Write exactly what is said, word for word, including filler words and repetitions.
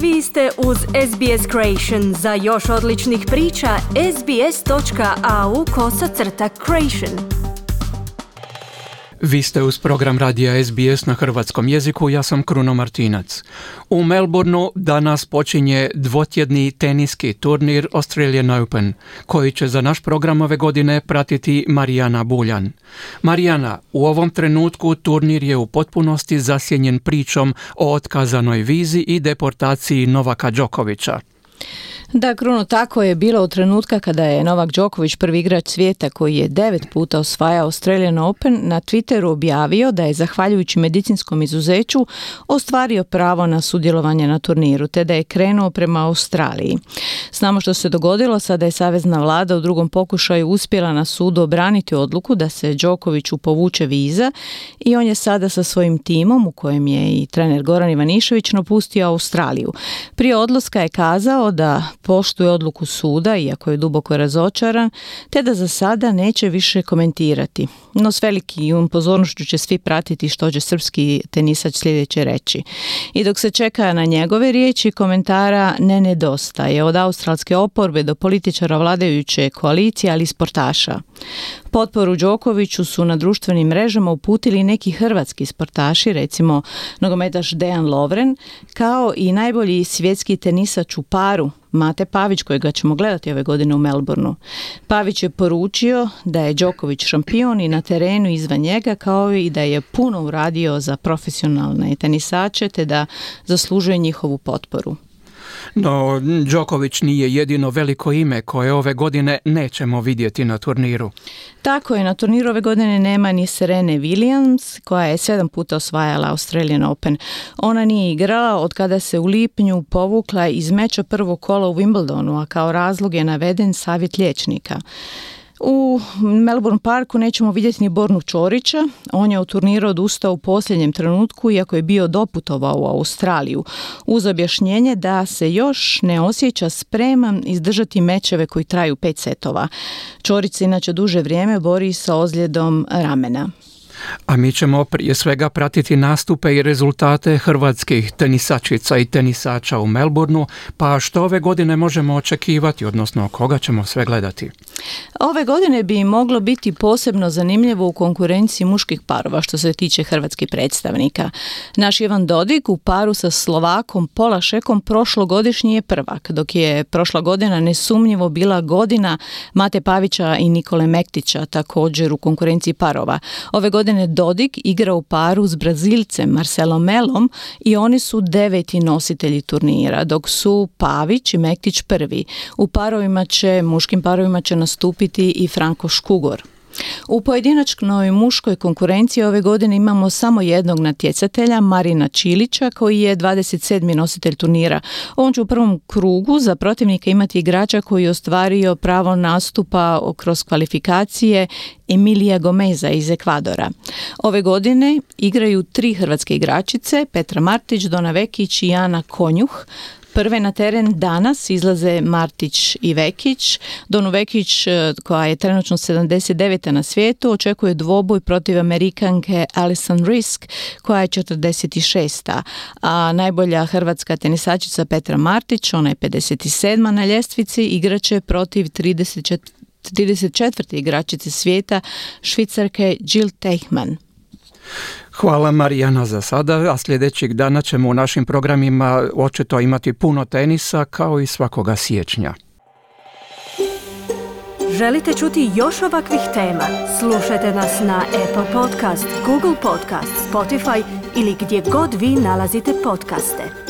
Vi ste uz S B S Creation. Za još odličnih priča, sbs.au kosacrta creation. Vi ste uz program radija S B S na hrvatskom jeziku, ja sam Kruno Martinac. U Melbourneu danas počinje dvotjedni teniski turnir Australian Open, koji će za naš program ove godine pratiti Marijana Buljan. Marijana, u ovom trenutku turnir je u potpunosti zasjenjen pričom o otkazanoj vizi i deportaciji Novaka Đokovića. Da, Kruno, tako je bilo u trenutka kada je Novak Đoković, prvi igrač svijeta koji je devet puta osvajao Australian Open, na Twitteru objavio da je zahvaljujući medicinskom izuzeću ostvario pravo na sudjelovanje na turniru, te da je krenuo prema Australiji. Znamo što se dogodilo, sada je savezna vlada u drugom pokušaju uspjela na sudu obraniti odluku da se Đokoviću povuče viza i on je sada sa svojim timom, u kojem je i trener Goran Ivanišević, napustio Australiju. Prije odlaska je kazao da poštuje odluku suda, iako je duboko razočaran, te da za sada neće više komentirati. No s velikim pozornošću će svi pratiti što će srpski tenisač sljedeće reći. I dok se čeka na njegove riječi, komentara ne nedostaje, od australske oporbe do političara vladajuće koalicije, ali i sportaša. Potporu Đokoviću su na društvenim mrežama uputili neki hrvatski sportaši, recimo nogometaš Dejan Lovren, kao i najbolji svjetski tenisač u paru Mate Pavić, kojega ćemo gledati ove godine u Melbourneu. Pavić je poručio da je Đoković šampion i na terenu izvan njega, kao i da je puno uradio za profesionalne tenisače, te da zaslužuje njihovu potporu. No, Đoković nije jedino veliko ime koje ove godine nećemo vidjeti na turniru. Tako je, na turniru ove godine nema ni Serene Williams, koja je sedam puta osvajala Australian Open. Ona nije igrala od kada se u lipnju povukla iz meča prvog kola u Wimbledonu, a kao razlog je naveden savjet liječnika. U Melbourne Parku nećemo vidjeti ni Bornu Ćorića. On je od turnira odustao u posljednjem trenutku, iako je bio doputovao u Australiju, uz objašnjenje da se još ne osjeća spreman izdržati mečeve koji traju pet setova. Ćorić se inače duže vrijeme bori sa ozljedom ramena. A mi ćemo prije svega pratiti nastupe i rezultate hrvatskih tenisačica i tenisača u Melbourneu, pa što ove godine možemo očekivati, odnosno koga ćemo sve gledati? Ove godine bi moglo biti posebno zanimljivo u konkurenciji muških parova što se tiče hrvatskih predstavnika. Naš Ivan Dodig u paru sa Slovakom Polašekom prošlogodišnji je prvak, dok je prošla godina nesumnjivo bila godina Mate Pavića i Nikole Mektića, također u konkurenciji parova. Ove godine Dodig igra u paru s Brazilcem Marcelom Melom i oni su deveti nositelji turnira, dok su Pavić i Mektić prvi. U parovima će, muškim parovima će nastupiti i Franko Škugor. U pojedinačnoj muškoj konkurenciji ove godine imamo samo jednog natjecatelja, Marina Čilića, koji je dvadeset sedmi nositelj turnira. On će u prvom krugu za protivnika imati igrača koji je ostvario pravo nastupa kroz kvalifikacije, Emilija Gomeza iz Ekvadora. Ove godine igraju tri hrvatske igračice, Petra Martić, Dona Vekić i Ana Konjuh. Prve na teren danas izlaze Martić i Vekić. Donu Vekić, koja je trenutno sedamdeset deveta na svijetu, očekuje dvoboj protiv Amerikanke Alison Risk, koja je četrdeset šesta. A najbolja hrvatska tenisačica Petra Martić, ona je pedeset sedma na ljestvici, igraće protiv trideset četvrte igračice svijeta, Švicarke Jill Teichmann. Hvala Marijana za sada, a sljedećeg dana ćemo u našim programima očito imati puno tenisa kao i svakoga siječnja. Želite čuti još ovakvih tema? Slušajte nas na Apple Podcast, Google Podcast, Spotify ili gdje god vi nalazite podcaste.